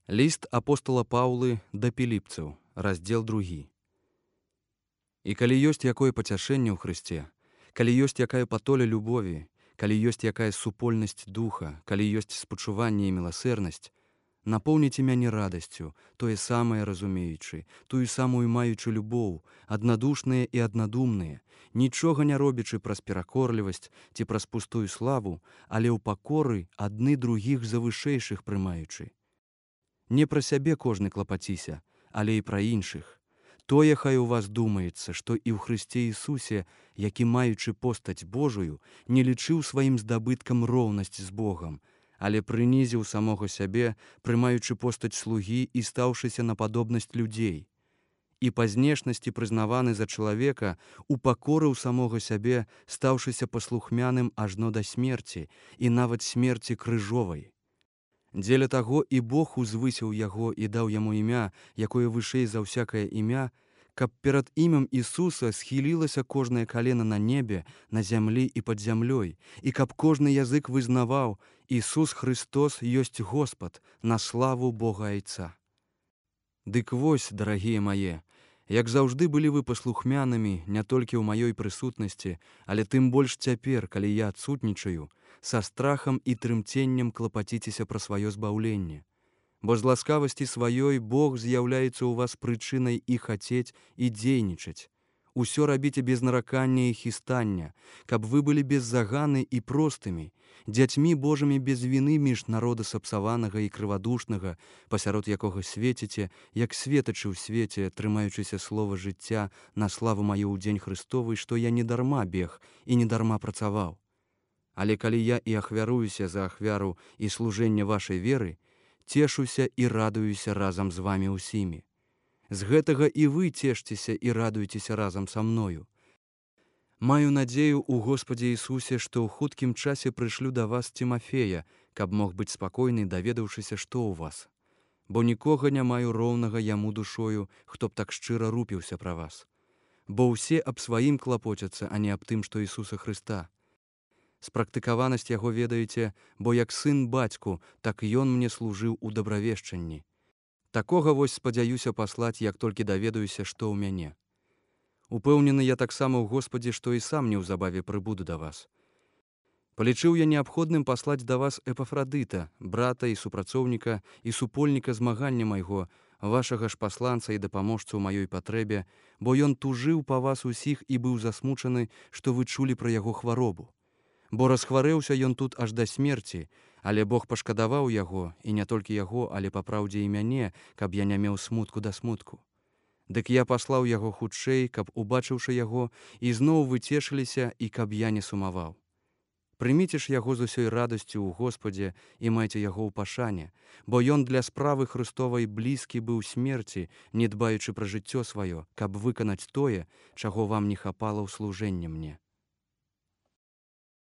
Ліст апостала Паўлы да піліпцаў, раздзел 2. І калі ёсць якое пацяшэнне ў Хрысце, калі ёсць якая патоля любові, калі ёсць якая супольнасць духа, калі ёсць спачуванне і міласэрнасць, напоўніце мяне радасцю, тое самае разумеючы, тую самую маючы любоў, аднадушныя і аднадумныя, нічога не робячы праз перакорлівасць ці праз пустую славу, але ў пакоры адны другіх за вышэйшых прымаючы. Не пра сябе кожны клапаціся, але і пра іншых. Тое хай у вас думаецца, што і ў Хрысце Ісусе, які, маючы постаць Божую, не лічыў сваім здабыткам роўнасць з Богам, але прынізіў самога сябе, прымаючы постаць слугі і стаўшыся на падобнасць людзей. І па знешнасці прызнаваны за чалавека, упакорыў самога сябе, стаўшыся паслухмяным ажно да смерці і нават смерці крыжовай. Дзеля таго і Бог узвысіў яго і даў яму імя, якое вышэй за ўсякае імя, каб перад імем Ісуса схілілася кожнае калена на небе, на зямлі і пад зямлёй, і каб кожны язык вызнаваў: Ісус Христос ёсць Господ, на славу Бога Айца. Дык вось, дарагія мае, як заўжды былі вы паслухмянымі не толькі ў маёй прысутнасці, але тым больш цяпер, калі я адсутнічаю, са страхам і трымценнем клапаціцеся пра сваё збаўленне. Бо з ласкавасці сваёй Бог з'яўляецца ў вас прычынай і хацець, і дзейнічаць. Усё рабіце без наракання і хістання, каб вы былі без заганы і простымі, дзяцьмі Божымі без віны між народа сапсаванага і крывадушнага, пасярод якога свеціце, як светачы ў свеце, трымаючыся слова жыцця на славу маю ў дзень Христовы, што я не дарма бег і не дарма працаваў. Але калі я і ахвяруюся за ахвяру і служэнне вашай веры, цешуся і радуюся разам з вамі ўсімі. З гэтага і вы цешцеся і радуйцеся разам са мною. Маю надзею ў Господзе Ісусе, што ў хуткім часе прышлю да вас Тимофея, каб мог быць спакойны, даведаўшыся, што ў вас. Бо нікога не маю роўнага яму душою, хто б так шчыра рупіўся пра вас. Бо ўсе аб сваім клапоцяцца, а не аб тым, што Ісуса Хрыста. Спрактыкаванасць яго ведаеце, бо як сын бацьку, так ён мне служыў у дабравешчанні. Такога вось спадзяюся паслаць, як толькі даведаюся, што ў мяне. Упэўнены я таксама ў Господзе, што і сам неўзабаве прыбуду да вас. Палічыў я неабходным паслаць да вас Эпафрадыта, брата і супрацоўніка і супольніка змагання майго, вашага ж пасланца і дапаможцу ў маёй патрэбе, бо ён тужыў па вас усіх і быў засмучаны, што вы чулі пра яго хваробу. Бо расхварэўся ён тут аж да смерці, але Бог пашкадаваў яго, і не толькі яго, але па праўдзе і мяне, каб я не меў смутку да смутку. Дык я паслаў яго хутчэй, каб, убачыўшы яго, ізноў вы цешыліся і каб я не сумаваў. Прыміце ж яго з усёй радасцю ў Господзе і майце яго ў пашане, бо ён для справы Христовай блізкі быў смерці, не дбаючы пра жыццё сваё, каб выканаць тое, чаго вам не хапала ў служэнне мне.